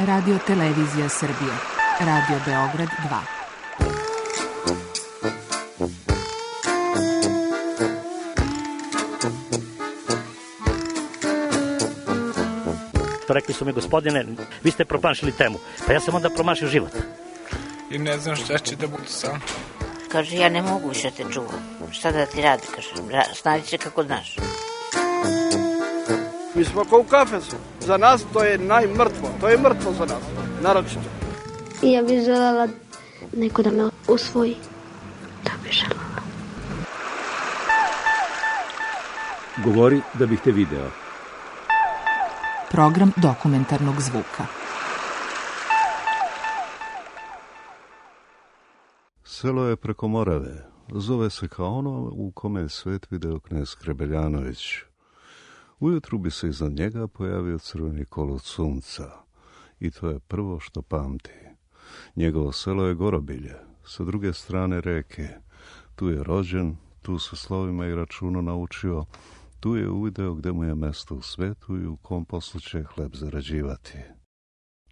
Radio Televizija Srbije. Radio Beograd 2. Rekli su mi, gospodine, vi ste promašili temu. Pa ja sam onda promašio život. I ne znam šta će da bude sam. Kaže, ja ne mogu više te čuvam. Šta da ti radi, kaže, snađi se kako znaš. Mi smo kao u kafesu. Za nas to je najmrtvo. To je mrtvo za nas, naročito. Ja bih želela neko da me usvoji. Da bih želela. Govori da bih te video. Program dokumentarnog zvuka. Selo je preko Morave. Zove se kao ono u kome je svet video knez Hrebeljanović. Ujutru bi se iznad njega pojavio crveni kolut sunca. I to je prvo što pamti. Njegovo selo je Gorobilje, sa druge strane reke. Tu je rođen, tu se slovima i računom naučio, tu je uvideo gde mu je mesto u svetu i u kom poslu će hleb zarađivati.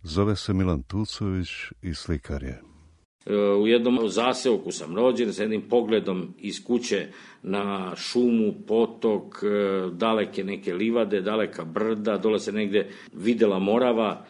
Zove se Milan Tucović i slikar je. U jednom zaseoku sam rođen, sa jednim pogledom iz kuće na šumu, potok, daleke neke livade, daleka brda, dole se negde videla Morava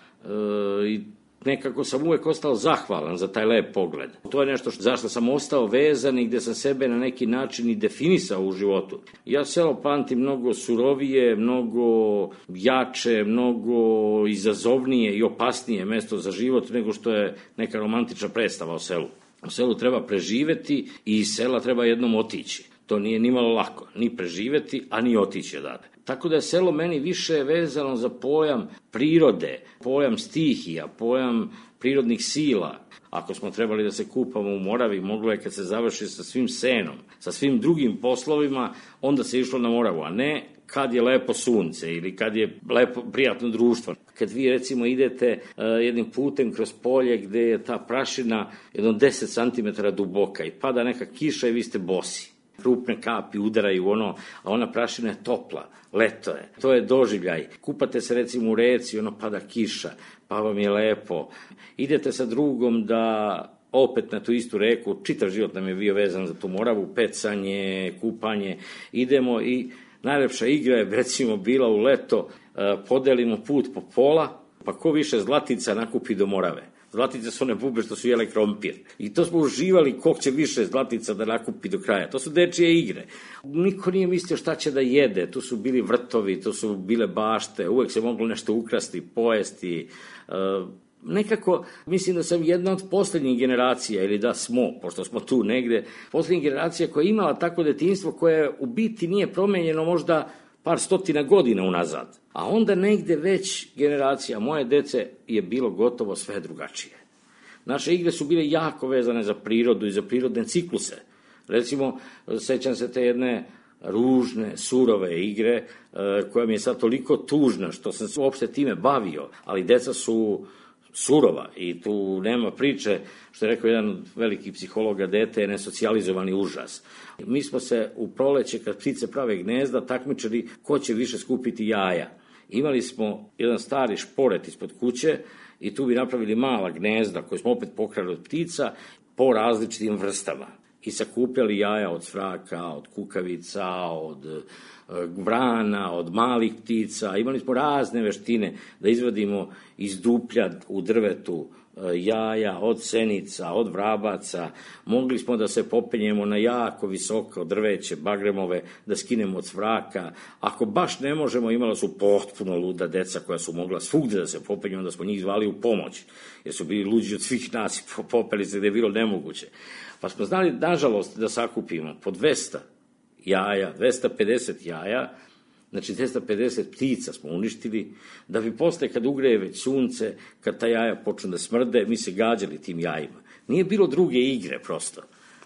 i nekako sam uvek ostao zahvalan za taj lep pogled. To je nešto zašto sam ostao vezan i gde sam sebe na neki način i definisao u životu. Ja selo pamtim mnogo surovije, mnogo jače, mnogo izazovnije i opasnije mesto za život nego što je neka romantična predstava o selu. U selu treba preživeti i iz sela treba jednom otići. To nije nimalo lako, ni preživeti, a ni otići odavde. Tako da je selo meni više vezano za pojam prirode, pojam stihija, pojam prirodnih sila. Ako smo trebali da se kupamo u Moravi, moglo je kad se završi sa svim senom, sa svim drugim poslovima, onda se išlo na Moravu, a ne kad je lepo sunce ili kad je lepo prijatno društvo. Kad vi recimo idete jednim putem kroz polje gde je ta prašina jedno 10 cm duboka i pada neka kiša i vi ste bosi. Krupne kapi udaraju a ona prašina je topla, leto je. To je doživljaj. Kupate se recimo u reci, pada kiša, pa vam je lepo. Idete sa drugom da opet na tu istu reku, čitav život nam je bio vezan za tu Moravu, pecanje, kupanje, idemo i najlepša igra je recimo bila u leto, podelimo put po pola, pa ko više zlatica nakupi do Morave. Zlatice su one bube što su jele krompir. I to smo uživali ko će više zlatica da nakupi do kraja. To su dečije igre. Niko nije mislio šta će da jede. Tu su bili vrtovi, tu su bile bašte. Uvek se moglo nešto ukrasti, pojesti. Nekako, mislim da sam jedna od poslednjih generacija, ili da smo, pošto smo tu negde, poslednjih generacija koja je imala takvo detinjstvo koje u biti nije promenjeno možda par stotina godina unazad. A onda negde već generacija moje dece je bilo gotovo sve drugačije. Naše igre su bile jako vezane za prirodu i za prirodne cikluse. Recimo, sećam se te jedne ružne, surove igre koja mi je sad toliko tužna što sam se uopšte time bavio, ali deca su surova i tu nema priče, što je rekao jedan od velikih psihologa, dete je nesocijalizovani užas. Mi smo se u proleće, kad ptice prave gnezda, takmičili ko će više skupiti jaja. Imali smo jedan stari šporet ispod kuće i tu bi napravili mala gnezda koje smo opet pokrali od ptica po različitim vrstama. I sakupljali jaja od svraka, od kukavica, od vrana, od malih ptica. Imali smo razne veštine da izvadimo iz duplja u drvetu jaja, od senica, od vrabaca. Mogli smo da se popenjemo na jako visoko drveće, bagremove, da skinemo od svraka. Ako baš ne možemo, imala su potpuno luda deca koja su mogla svugde da se popenju, onda smo njih zvali u pomoć, jer su bili luđi od svih nas i popeli se gde je bilo nemoguće. Pa smo znali, nažalost, da sakupimo po 200 jaja, 250 jaja, znači 250 ptica smo uništili, da bi posle kad ugreje već sunce, kad ta jaja počnu da smrde, mi se gađali tim jajima. Nije bilo druge igre prosto,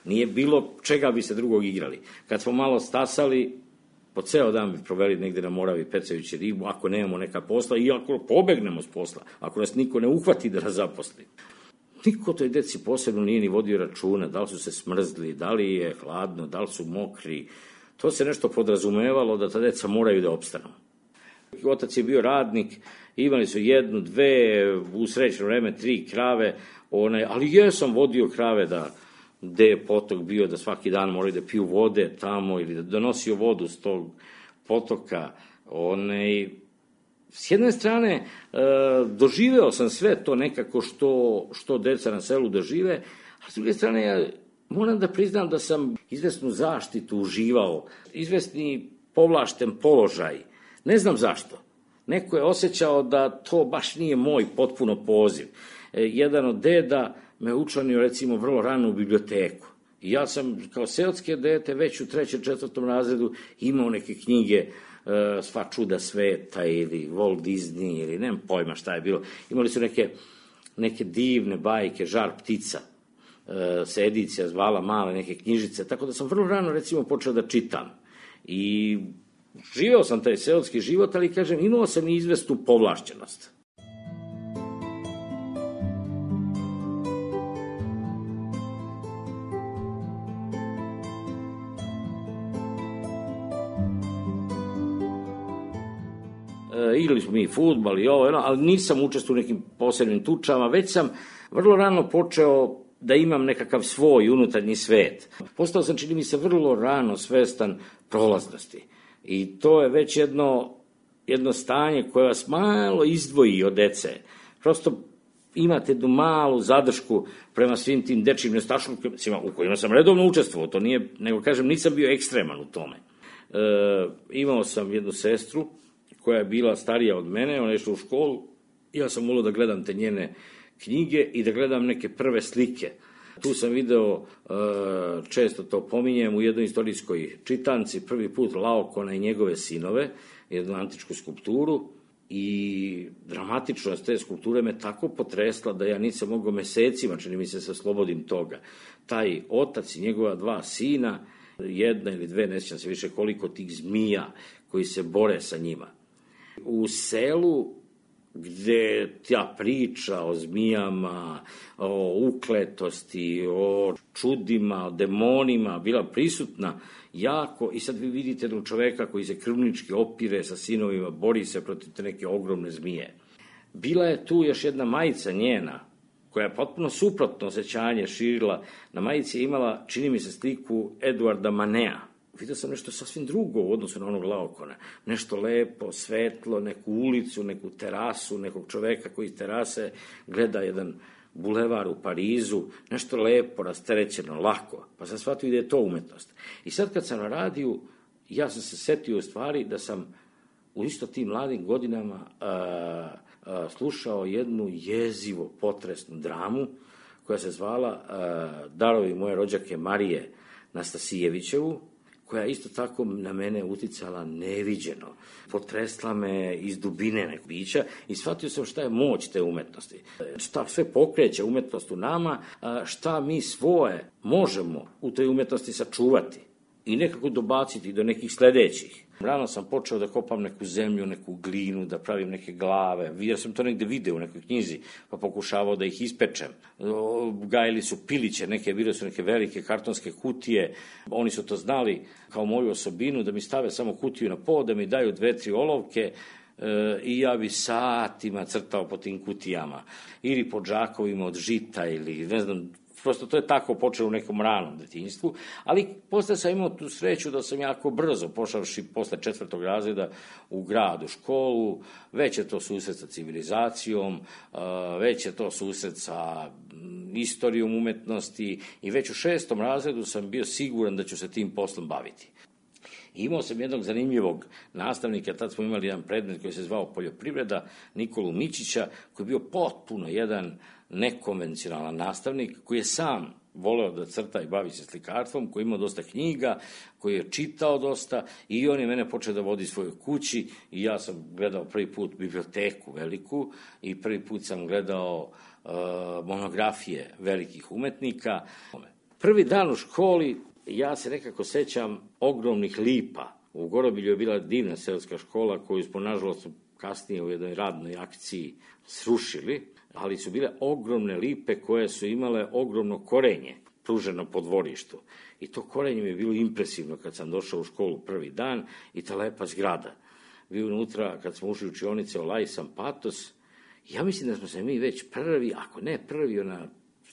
nije bilo čega bi se drugog igrali. Kad smo malo stasali, po ceo dan bi proveli negde na Moravi pecajući ribu, ako nemamo neka posla i ako pobegnemo s posla, ako nas niko ne uhvati da nas zaposli. Niko toj deci posebno nije ni vodio računa, da li su se smrzli, da li je hladno, da li su mokri. To se nešto podrazumevalo da ta deca moraju da opstanu. Otac je bio radnik, imali su 1, 2, u srećno vreme 3 krave, ali jesam vodio krave gde je potok bio, da svaki dan moraju da piju vode tamo ili da donosio vodu s tog potoka. S jedne strane, doživeo sam sve to nekako što deca na selu dožive, a s druge strane, ja moram da priznam da sam izvesnu zaštitu uživao, izvesni povlašten položaj. Ne znam zašto. Neko je osjećao da to baš nije moj potpuno poziv. Jedan od deda me učlanio, recimo, vrlo rano u biblioteku. I ja sam, kao seoske dete, već u 3. 4. razredu imao neke knjige, Sva čuda sveta ili Walt Disney ili nemam pojma šta je bilo. Imali su neke divne bajke, Žar ptica, se edicija zvala, male neke knjižice, tako da sam vrlo rano, recimo, počeo da čitam. I živeo sam taj seoski život, ali, kažem, imao sam i izvesnu povlašćenost. Igrali smo mi fudbal i ovo, ali nisam učestvovao u nekim posebnim tučama, već sam vrlo rano počeo da imam nekakav svoj unutarnji svet. Postao sam, čini mi se, vrlo rano svestan prolaznosti. I to je već jedno stanje koje vas malo izdvoji od dece. Prosto imate jednu malu zadršku prema svim tim dečijim nestašlucima u kojima sam redovno učestvovao. To nije, nego kažem, nisam bio ekstreman u tome. Imao sam jednu sestru koja je bila starija od mene, ona je išla u školu, ja sam volio da gledam te njene knjige i da gledam neke prve slike. Tu sam video, često to pominjem, u jednoj istorijskoj čitanci, prvi put Laokona i njegove sinove, jednu antičku skulpturu, i dramatičnost te skulpture me tako potresla da ja nisam mogao mesecima, čini mi se oslobodim toga. Taj otac i njegova 2 sina, 1 ili 2, ne sjećam se više koliko tih zmija koji se bore sa njima. U selu gde ta priča o zmijama, o ukletosti, o čudima, o demonima bila prisutna jako, i sad vi vidite jednog čoveka koji se krvnički opire sa sinovima, bori se protiv te neke ogromne zmije. Bila je tu još jedna majica njena, koja je potpuno suprotno osjećanje širila. Na majici je imala, čini mi se, sliku Eduarda Manea. Vidio sam nešto sasvim drugo u odnosu na onog Laokona. Nešto lepo, svetlo, neku ulicu, neku terasu, nekog čoveka koji iz terase gleda jedan bulevar u Parizu, nešto lepo, rasterećeno, lako. Pa sam shvatio da je to umetnost. I sad kad sam na radiju, ja sam se setio u stvari da sam u isto tim mladim godinama slušao jednu jezivo potresnu dramu koja se zvala Darovi moje rođake Marije Nastasijevićevu, koja isto tako na mene uticala neviđeno. Potresla me iz dubine nekog bića i shvatio sam šta je moć te umetnosti. Šta sve pokreće umetnost u nama, šta mi svoje možemo u toj umetnosti sačuvati i nekako dobaciti do nekih sledećih. Rano sam počeo da kopam neku zemlju, neku glinu, da pravim neke glave. Ja sam to negde video u nekoj knjizi, pa pokušavao da ih ispečem. Gajili su piliće, bile su neke velike kartonske kutije. Oni su to znali kao moju osobinu, da mi stave samo kutiju na pod, da mi daju 2-3 olovke i ja bi satima crtao po tim kutijama. Ili po džakovima od žita ili ne znam. Prosto to je tako počelo u nekom ranom detinjstvu, ali posle sam imao tu sreću da sam jako brzo, pošavši posle 4. razreda u grad, u školu, već je to susret sa civilizacijom, već je to susret sa istorijom umetnosti i već u 6. razredu sam bio siguran da ću se tim poslom baviti. Imao sam jednog zanimljivog nastavnika, tad smo imali jedan predmet koji se zvao poljoprivreda, Nikolu Mićića, koji je bio potpuno jedan nekonvencionalan nastavnik, koji je sam voleo da crta i bavi se slikarstvom, koji je imao dosta knjiga, koji je čitao dosta i on je mene počeo da vodi svojoj kući i ja sam gledao prvi put biblioteku veliku i prvi put sam gledao monografije velikih umetnika. Prvi dan u školi ja se nekako sećam ogromnih lipa. U Gorobilju je bila divna seoska škola koju smo, nažalost, kasnije u jednoj radnoj akciji srušili, ali su bile ogromne lipe koje su imale ogromno korenje pruženo po dvorištu. I to korenje mi je bilo impresivno kad sam došao u školu prvi dan i ta lepa zgrada. bio unutra kad smo ušli u učionice Olaj sam Patos. Ja mislim da smo se mi već prvi, ako ne prvi,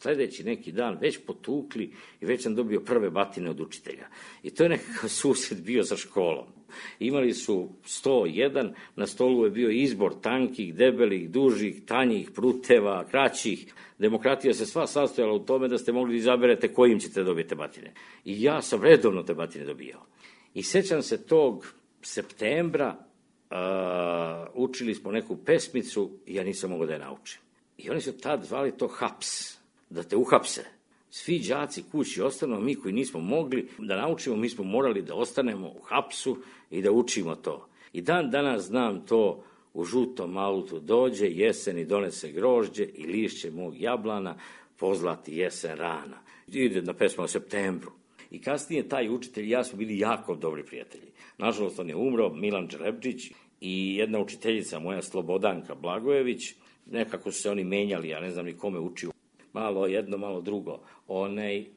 sljedeći neki dan već potukli i već sam dobio prve batine od učitelja. I to je nekakav susret bio sa školom. Imali su 101, na stolu je bio izbor tankih, debelih, dužih, tanjih, pruteva, kraćih. Demokratija se sva sastojala u tome da ste mogli da izaberete kojim ćete dobiti batine. I ja sam redovno te batine dobijao. I sećam se tog septembra, učili smo neku pesmicu i ja nisam mogao da je naučim. I oni su tad zvali to haps, da te uhapse. Svi đaci kući ostanu, mi koji nismo mogli da naučimo, mi smo morali da ostanemo u hapsu i da učimo to. I dan danas znam to, u žutom autu dođe jesen i donese grožđe i lišće mog jablana, pozlati jesen rana. Ide na pesmu o septembru. I kasnije taj učitelj i ja smo bili jako dobri prijatelji. Nažalost, on je umro, Milan Đelepčić, i jedna učiteljica moja, Slobodanka Blagojević. Nekako su se oni menjali, ja ne znam ni kome učio. Malo jedno, malo drugo.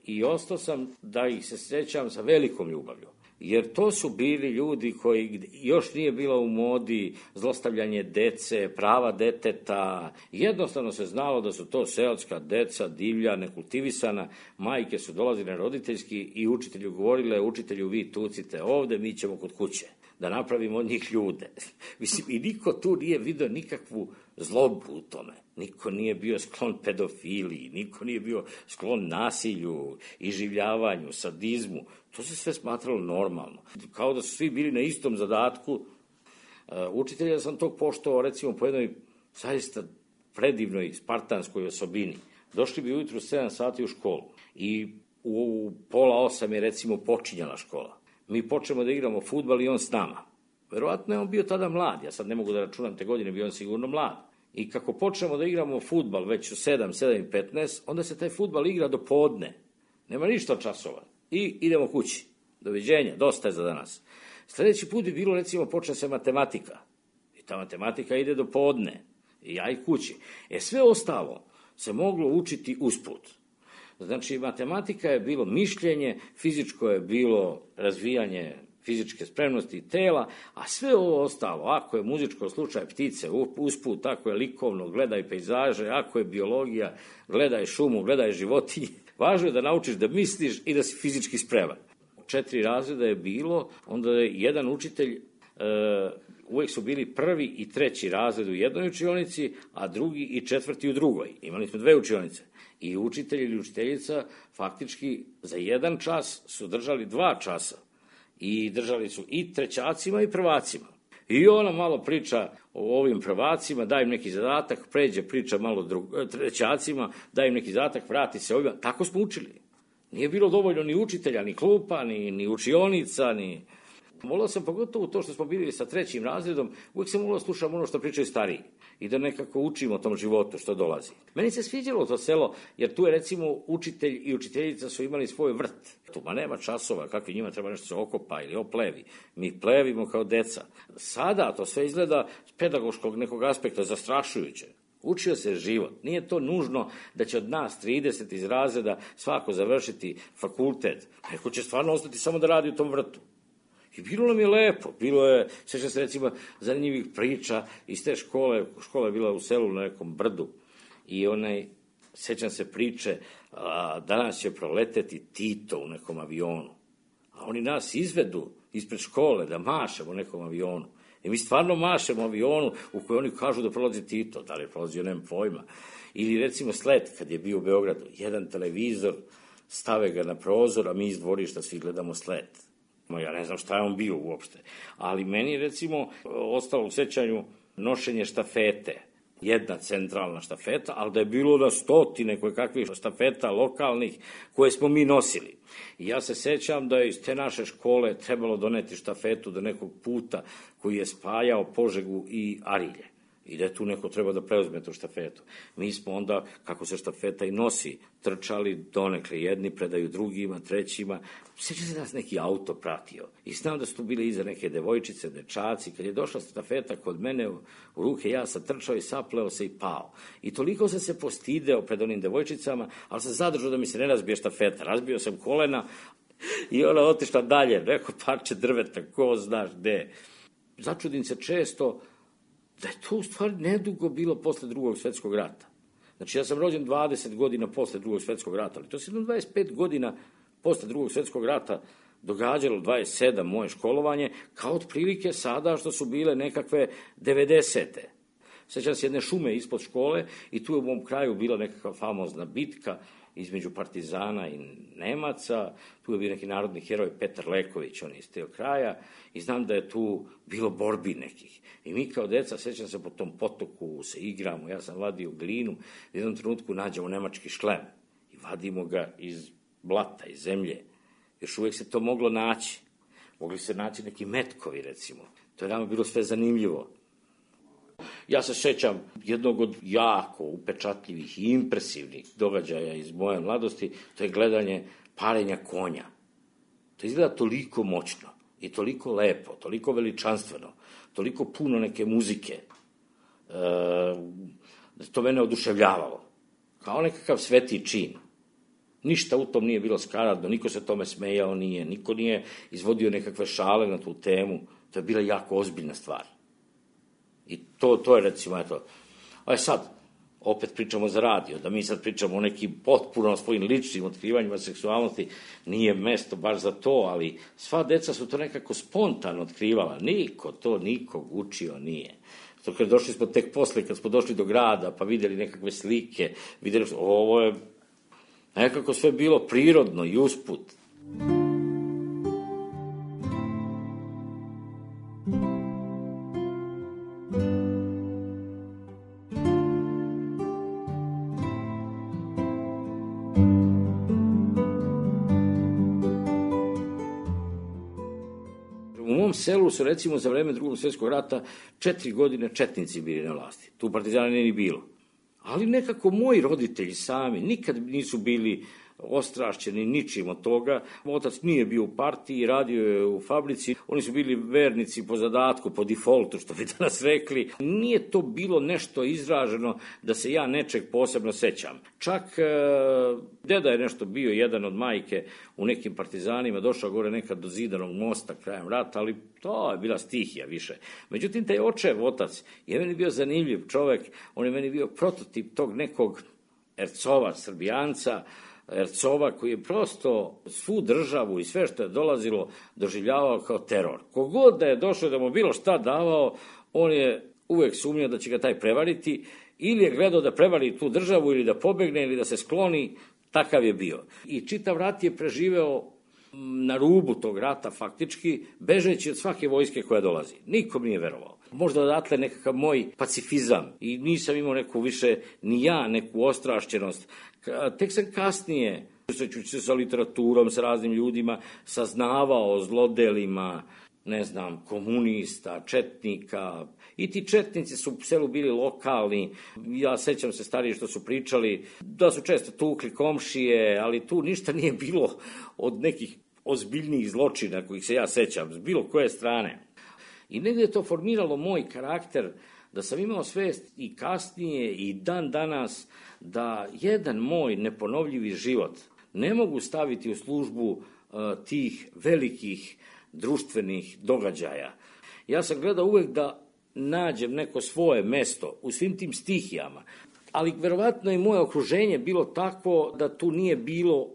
I ostao sam da ih se sjećam sa velikom ljubavlju. Jer to su bili ljudi koji još nije bilo u modi zlostavljanje dece, prava deteta. Jednostavno se znalo da su to seoska deca, divlja, nekultivisana. Majke su dolazile na roditeljski i učitelju govorile, učitelju vi tucite ovde, mi ćemo kod kuće da napravimo od njih ljude. Mislim, i niko tu nije vidio nikakvu zlobu u tome. Niko nije bio sklon pedofiliji, niko nije bio sklon nasilju, iživljavanju, sadizmu. To se sve smatralo normalno. Kao da su svi bili na istom zadatku. Učitelja sam tog poštovao, recimo, po jednoj zaista predivnoj spartanskoj osobini. Došli bi ujutru 7 sati u školu i u 7:30 je, recimo, počinjala škola. Mi počnemo da igramo fudbal i on s nama. Verovatno je on bio tada mlad, ja sad ne mogu da računam te godine, bio on sigurno mlad. I kako počnemo da igramo fudbal već u 7:15, onda se taj fudbal igra do podne. Nema ništa od časova. I idemo kući. Doviđenja, dosta je za danas. Sljedeći put bi bilo, recimo, počne se matematika. I ta matematika ide do podne. I ja i kući. Sve ostalo se moglo učiti usput. Znači, matematika je bilo mišljenje, fizičko je bilo razvijanje fizičke spremnosti tela, a sve ovo ostalo, ako je muzičko, slučaj ptice usput, ako je likovno, gledaj pejzaže, ako je biologija, gledaj šumu, gledaj životinje. Važno je da naučiš da misliš i da si fizički spreman. 4 razreda je bilo, onda je jedan učitelj, uvijek su bili 1. i 3. razred u jednoj učionici, a 2. i 4. u drugoj. Imali smo 2 učionice. I učitelj ili učiteljica faktički za 1 čas su držali 2 časa. I držali su i trećacima i prvacima. I ona malo priča o ovim prvacima, daj im neki zadatak, pređe priča malo trećacima, daj im neki zadatak, vrati se ovima. Tako smo učili. Nije bilo dovoljno ni učitelja, ni klupa, ni učionica, ni... Volao sam pogotovo to što smo bili sa 3. razredom, uvijek sam volao slušam ono što pričaju stariji i da nekako učimo o tom životu što dolazi. Meni se sviđalo to selo, jer tu je, recimo, učitelj i učiteljica su imali svoj vrt. Tu nema časova, kakvi njima treba nešto se okopa ili oplevi. Mi plevimo kao deca. Sada to sve izgleda s pedagoškog nekog aspekta zastrašujuće. Učio se život. Nije to nužno da će od nas 30 iz razreda svako završiti fakultet. Neko će stvarno ostati samo da radi u tom vrtu. I bilo nam je lepo, bilo je, sjećam se, recimo, zanimljivih priča iz te škole. Škola je bila u selu na nekom brdu i sjećam se priče, danas će proleteti Tito u nekom avionu. A oni nas izvedu ispred škole da mašemo nekom avionu. I mi stvarno mašemo avionu u kojoj oni kažu da prolazi Tito, da li je prolazio, nemam pojma. Ili, recimo, Slet, kad je bio u Beogradu, jedan televizor, stave ga na prozor, a mi iz dvorišta svi gledamo Slet. Ja ne znam šta je on bio uopšte. Ali meni je, recimo, ostalo u sećanju nošenje štafete. Jedna centralna štafeta, ali da je bilo na stotine kakvih štafeta lokalnih koje smo mi nosili. I ja se sećam da je iz te naše škole trebalo doneti štafetu do nekog puta koji je spajao Požegu i Arilje. I da je tu neko treba da preuzme tu štafetu. Mi smo onda, kako se štafeta i nosi, trčali donekle, jedni predaju drugima, trećima. Sjeća se da nas neki auto pratio. I znam da su tu bile iza neke devojčice, dečaci. Kad je došla štafeta kod mene u ruke, ja sam trčao i sapleo se i pao. I toliko sam se postideo pred onim devojčicama, ali sam zadržao da mi se ne razbije štafeta. Razbio sam kolena i ona otišla dalje. Neko parče drveta, ko znaš gde. začudim se često da je to u stvari nedugo bilo posle Drugog svjetskog rata. Znači, ja sam rođen 20 godina posle Drugog svjetskog rata, ali to se 25 godina posle Drugog svjetskog rata događalo, 27 moje školovanje, kao otprilike sada što su bile nekakve 90. Sjećam se jedne šume ispod škole i tu je u mom kraju bila nekakva famozna bitka između partizana i Nemaca, tu je bio neki narodni heroj Petar Leković, on je iz tog kraja, i znam da je tu bilo borbi nekih. I mi kao deca, sjećam se, po tom potoku se igramo, ja sam vadio glinu, u jednom trenutku nađemo nemački šlem i vadimo ga iz blata, iz zemlje. Još uvijek se to moglo naći. Mogli se naći neki metkovi, recimo. To je nama bilo sve zanimljivo. Ja se sjećam jednog od jako upečatljivih i impresivnih događaja iz moje mladosti, to je gledanje parenja konja. To izgleda toliko moćno i toliko lepo, toliko veličanstveno, toliko puno neke muzike, da to mene oduševljavalo. Kao nekakav sveti čin. Ništa u tom nije bilo skaradno, niko se tome smejao nije, niko nije izvodio nekakve šale na tu temu. To je bila jako ozbiljna stvar. I to je, recimo, eto. A sad, opet pričamo za radio, da mi sad pričamo o nekim potpuno svojim ličnim otkrivanjima seksualnosti, nije mesto baš za to, ali sva deca su to nekako spontano otkrivala. Niko to nikog učio nije. To kad došli smo tek posle, kad smo došli do grada, pa vidjeli nekakve slike, vidjeli ovo je nekako sve bilo prirodno i usput. U mom selu su, recimo, za vreme Drugog svjetskog rata 4 godine četnici bili na vlasti. Tu partizana nije ni bilo. Ali nekako moji roditelji sami nikad nisu bili ostrašćeni ničim od toga. Otac nije bio u partiji, radio je u fabrici. Oni su bili vernici po zadatku, po defaultu, što bi danas rekli. Nije to bilo nešto izraženo da se ja nečeg posebno sećam. Čak deda je nešto bio, jedan od majke u nekim partizanima, došao gore nekad do Zidanog mosta krajem rata, ali to je bila stihija više. Međutim, taj očev, otac, je meni bio zanimljiv čovek, on je meni bio prototip tog nekog Ercova, Srbijanca, Ercova koji je prosto svu državu i sve što je dolazilo doživljavao kao teror. Kogod da je došao da mu bilo šta davao, on je uvek sumnjao da će ga taj prevariti, ili je gledao da prevari tu državu ili da pobegne ili da se skloni, takav je bio. I čitav rat je preživeo na rubu tog rata faktički, bežeći od svake vojske koja dolazi. Nikom nije verovao. Možda odatle nekakav moj pacifizam i nisam imao neku više, ni ja, neku ostrašćenost. Tek sam kasnije, susrećući se sa literaturom, sa raznim ljudima, saznavao o zlodelima, ne znam, komunista, četnika. I ti četnici su u selu bili lokalni. Ja sećam se stariji što su pričali da su često tukli komšije, ali tu ništa nije bilo od nekih ozbiljnijih zločina kojih se ja sećam, s bilo koje strane. I negdje je to formiralo moj karakter, da sam imao svest i kasnije i dan danas da jedan moj neponovljivi život ne mogu staviti u službu tih velikih društvenih događaja. Ja sam gledao uvek da nađem neko svoje mesto u svim tim stihijama, ali verovatno i moje okruženje bilo takvo da tu nije bilo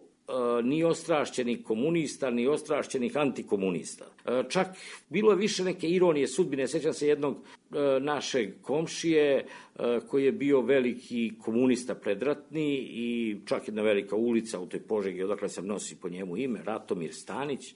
ni ostrašćenih komunista, ni ostrašćenih antikomunista. Čak bilo je više neke ironije sudbine. Sjećam se jednog našeg komšije koji je bio veliki komunista predratni i čak jedna velika ulica u toj Požegi, odakle sam nosi po njemu ime, Ratomir Stanić,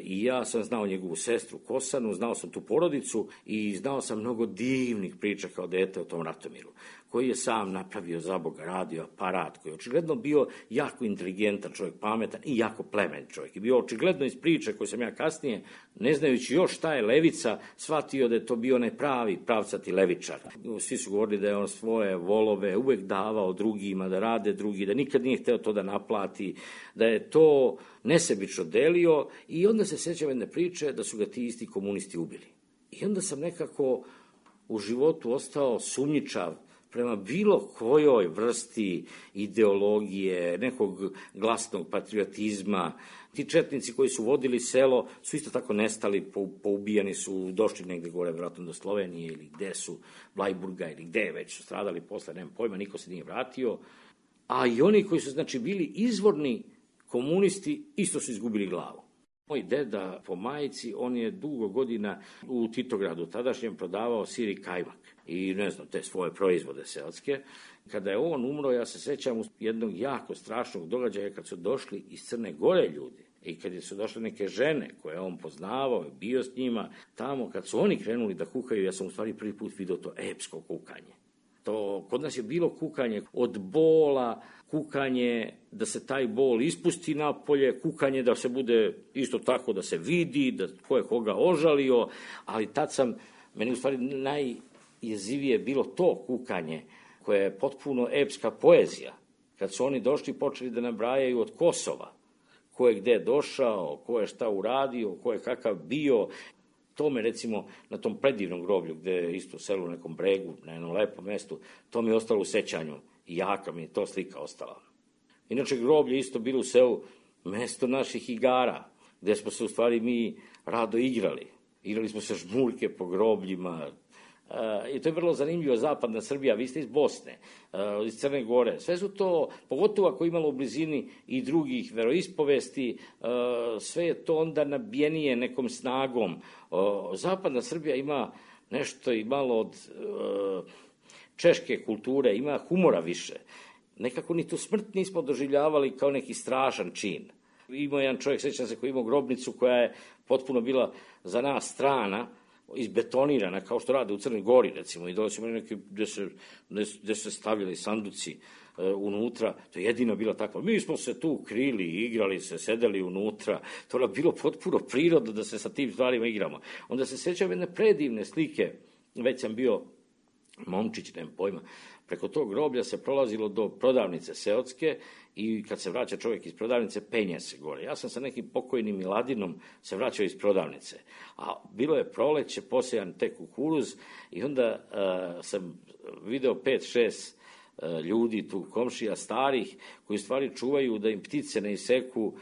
i ja sam znao njegovu sestru Kosanu, znao sam tu porodicu i znao sam mnogo divnih priča kao dete o tom Ratomiru, koji je sam napravio, za Boga, radio aparat, koji je očigledno bio jako inteligentan čovjek, pametan i jako plemen čovjek. I bio očigledno iz priče koje sam ja kasnije, ne znajući još šta je levica, shvatio da je to bio onaj pravi pravcati levičar. Svi su govorili da je on svoje volove uvek davao drugima, da rade drugi, da nikad nije hteo to da naplati, da je to nesebično delio, i onda se sjećam jedne priče da su ga ti isti komunisti ubili. I onda sam nekako u životu ostao sumnjičav prema bilo kojoj vrsti ideologije, nekog glasnog patriotizma. Ti četnici koji su vodili selo su isto tako nestali, poubijani su, došli negde gore, vjerojatno do Slovenije ili gde su, Blajburga ili gde već su stradali posle, nemam pojma, niko se nije vratio. A i oni koji su, znači, bili izvorni komunisti, isto su izgubili glavu. Moj deda po majici, on je dugo godina u Titogradu tadašnjem prodavao sir i kajmak i ne znam, te svoje proizvode seoske. Kada je on umro, ja se sećam jednog jako strašnog događaja kad su došli iz Crne Gore ljudi i kad su došle neke žene koje on poznavao, bio s njima, tamo kad su oni krenuli da kukaju, ja sam u stvari prvi put vidio to epsko kukanje. To, kod nas je bilo kukanje od bola, kukanje da se taj bol ispusti napolje, kukanje da se bude isto tako da se vidi, da ko je koga ožalio, ali tad meni u stvari najjezivije bilo to kukanje koje je potpuno epska poezija. Kad su oni došli počeli da nabrajaju od Kosova, ko je gde došao, ko je šta uradio, ko je kakav bio. To me, recimo, na tom predivnom groblju, gde je isto selo u nekom bregu, na jednom lepom mestu, to mi je ostalo u sećanju i jaka mi je to slika ostala. Inače, groblje isto bilo u selu mesto naših igara, gde smo se u stvari mi rado igrali. Igrali smo se žmurke po grobljima. I to je vrlo zanimljivo, zapadna Srbija, vi ste iz Bosne, iz Crne Gore, sve su to, pogotovo ako imalo u blizini i drugih veroispovesti, sve je to onda nabijenije nekom snagom. Zapadna Srbija ima nešto i malo od češke kulture, ima humora više. Nekako ni tu smrt nismo doživljavali kao neki strašan čin. Imao jedan čovjek, sećam se, koji imao grobnicu koja je potpuno bila za nas strana, izbetonirana, kao što rade u Crnoj Gori, recimo, i dole su imali neke gde se stavljali sanduci unutra, to je jedino bila takva. Mi smo se tu krili, igrali se, sedeli unutra, to je bilo potpuno prirodno da se sa tim stvarima igramo. Onda se sećam jedne predivne slike, već sam bio momčić, nemam pojma, preko tog groblja se prolazilo do prodavnice seotske i kad se vraća čovjek iz prodavnice, penje se gore. Ja sam sa nekim pokojnim Miladinom se vraćao iz prodavnice, a bilo je proleće, posejan tek kukuruz i onda sam video 5-6 ljudi tu, komšija starih, koji u stvari čuvaju da im ptice ne iseku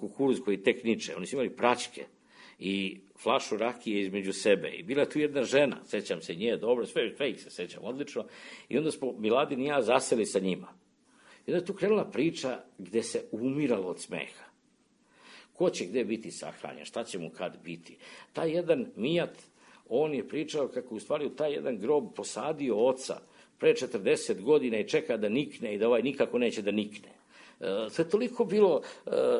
kukuruz koji tek niče. Oni su imali praćke i flašu rakije između sebe. I bila tu jedna žena, sećam se nje dobro, sve ih se sećam odlično, i onda smo Miladin i ja zaseli sa njima. I onda je tu krenula priča gde se umiralo od smeha. Ko će gde biti sahranjen, šta će mu kad biti. Taj jedan Mijat, on je pričao kako u stvari u taj jedan grob posadio oca pre 40 godina i čeka da nikne i da ovaj nikako neće da nikne. To je toliko bilo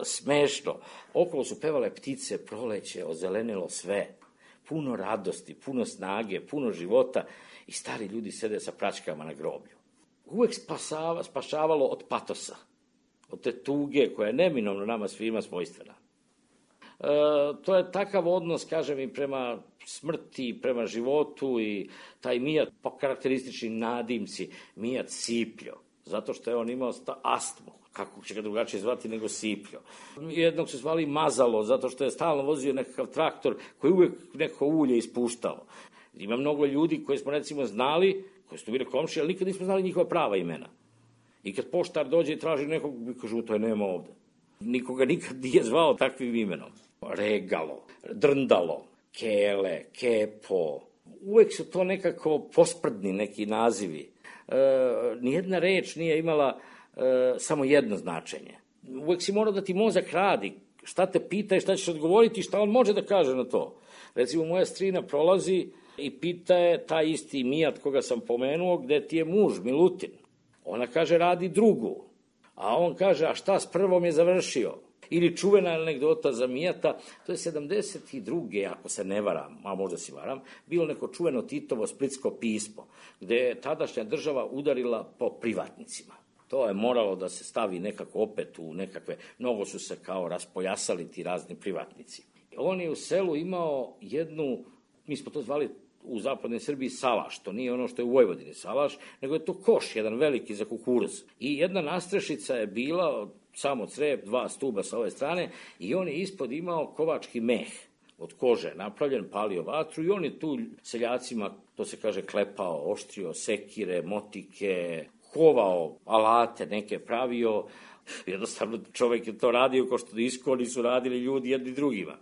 smešno. Okolo su pevale ptice, proleće, ozelenilo sve. Puno radosti, puno snage, puno života i stari ljudi sede sa praćkama na groblju. Uvek spašavalo od patosa, od te tuge koja je neminovno nama svima svojstvena. To je takav odnos, kažem, i prema smrti, prema životu i taj Mijat, po karakteristični nadimci, Mijat Sipljo, zato što je on imao astmu, kako će ga drugačije zvati nego Sipljo. Jednog su zvali Mazalo, zato što je stalno vozio nekakav traktor koji uvek neko ulje ispuštao. Ima mnogo ljudi koji smo recimo znali, koji su bili komšije, ali nikad nismo znali njihova prava imena. I kad poštar dođe i traži nekog, mi kažu, to je nema ovde. Nikoga nikad nije zvao takvim imenom. Regalo, Drndalo, Kele, Kepo. Uvek su to nekako posprdni neki nazivi. Nijedna reč nije imala samo jedno značenje. Uvek si morao da ti mozak radi. Šta te pita i šta ćeš odgovoriti, šta on može da kaže na to. Recimo, moja strina prolazi i pita je taj isti Mijat koga sam pomenuo, gde ti je muž, Milutin. Ona kaže, radi drugu. A on kaže, a šta s prvom je završio? Ili čuvena anegdota za Mijata, to je 72. ako se ne varam, a možda se varam, bilo neko čuveno Titovo splitsko pismo, gde je tadašnja država udarila po privatnicima. To je moralo da se stavi nekako opet u nekakve, mnogo su se kao raspojasali ti razni privatnici. On je u selu imao jednu, mi smo to zvali u zapadnoj Srbiji salaš, to nije ono što je u Vojvodini salaš, nego je to koš, jedan veliki za kukuruz. I jedna nastrešica je bila, samo crep, 2 stuba sa ove strane, i on je ispod imao kovački meh. od kože napravljen, palio vatru i on je tu seljacima, to se kaže, klepao, oštrio sekire, motike, kovao alate, neke pravio. Jednostavno čovjek je to radio kao što iskoni su radili ljudi jedni drugima.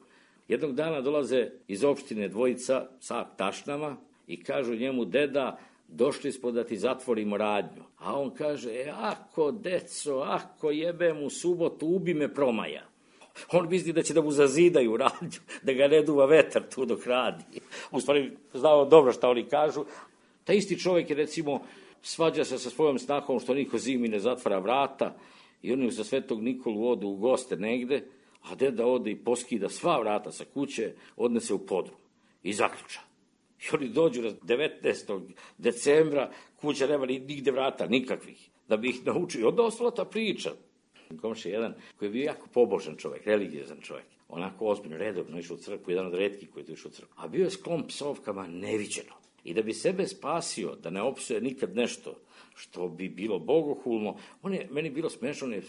Jednog dana dolaze iz opštine dvojica sa tašnama i kažu njemu: deda, došli smo da ti zatvorimo radnju. A on kaže: ako deco, ako jebem u subotu, ubi me promaja. On misli da će da mu zazidaju radnju, da ga ne duva vetar tu dok radi. U stvari znao dobro šta oni kažu. Ta isti čovjek je, recimo, svađa se sa svojom snahom što niko zimi ne zatvara vrata i oni za Svetog Nikolu odu u goste negde, a deda ode i poskida sva vrata sa kuće, odnese u podrum i zaključa. I oni dođu 19. decembra, kuća nema nigde vrata, nikakvih, da bi ih naučio. Onda ostala ta priča. Komšija jedan koji je bio jako pobožan čovjek, religiozan čovjek, onako ozbiljno, redovno išao u crkvu, jedan od retkih koji je tu išao u crkvu, a bio je sklon psovkama neviđeno. I da bi sebe spasio, da ne opsuje nikad nešto što bi bilo bogohulno, meni bilo smešno, on je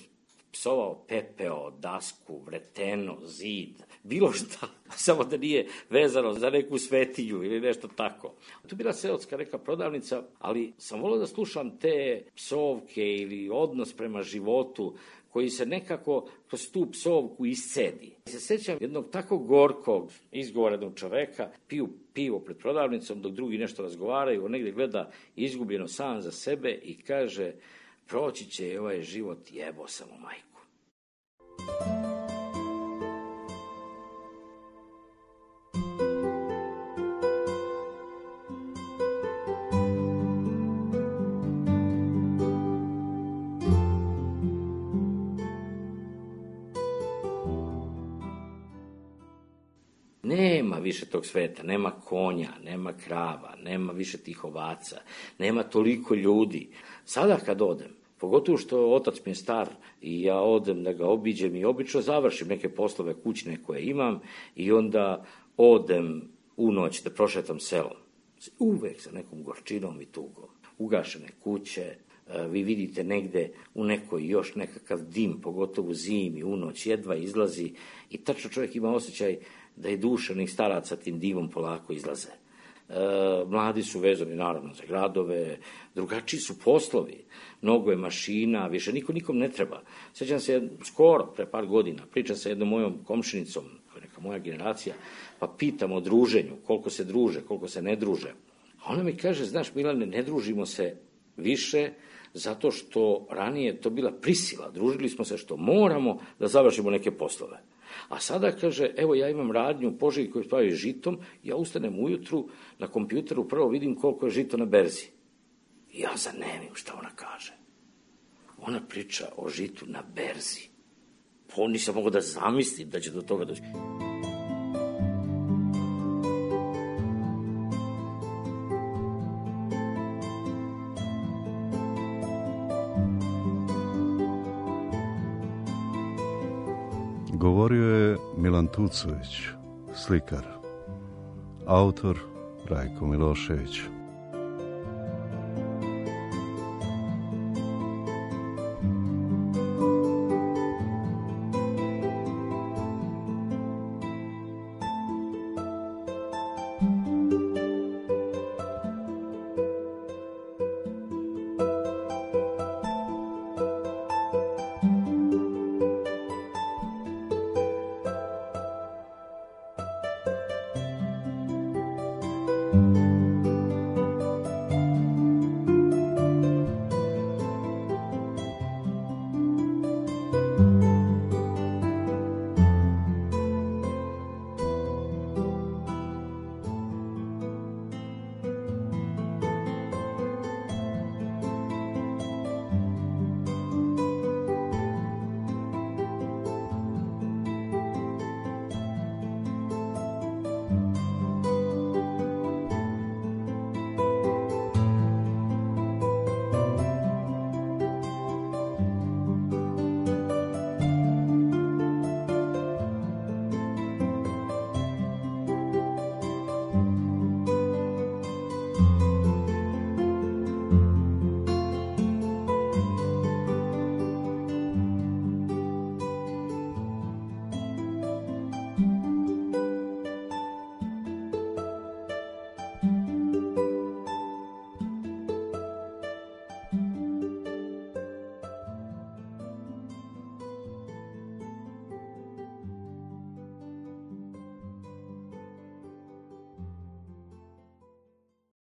psovao pepeo, dasku, vreteno, zid, bilo šta, samo da nije vezano za neku svetinju ili nešto tako. Tu bila seotska neka prodavnica, ali sam volio da slušam te psovke ili odnos prema životu koji se nekako kroz tu psovku iscedi. Se sjećam jednog tako gorkog, izgovorenog čoveka, piju pivo pred prodavnicom dok drugi nešto razgovaraju, on negdje gleda izgubljeno sam za sebe i kaže: proći će ovaj život, jebo sam u majku. Nema više tog sveta, nema konja, nema krava, nema više tih ovaca, nema toliko ljudi. Sada kad odem, pogotovo što otac mi je star i ja odem da ga obiđem i obično završim neke poslove kućne koje imam i onda odem u noć da prošetam selom. Uvek sa nekom gorčinom i tugom. Ugašene kuće, vi vidite negde u nekoj još nekakav dim, pogotovo zimi, u noć, jedva izlazi i tačno čovjek ima osjećaj da je duša onih staraca tim dimom polako izlaze. Mladi su vezani naravno za gradove, drugačiji su poslovi, mnogo je mašina, više nikom ne treba. Sjećam se skoro, pre par godina, pričam sa jednom mojom komšinicom, koja je neka moja generacija, pa pitam o druženju, koliko se druže, koliko se ne druže. A ona mi kaže: znaš Milane, ne družimo se više zato što ranije to bila prisila, družili smo se što moramo da završimo neke poslove. A sada kaže: evo ja imam radnju u Požegi koju pravi žitom, ja ustanem ujutru, na kompjuteru prvo vidim koliko je žito na berzi. I ja zanemim šta ona kaže. Ona priča o žitu na berzi. Pa nisam mogao da zamislim da će do toga doći. Govorio je Milan Tucović, slikar. Autor Rajko Milošević.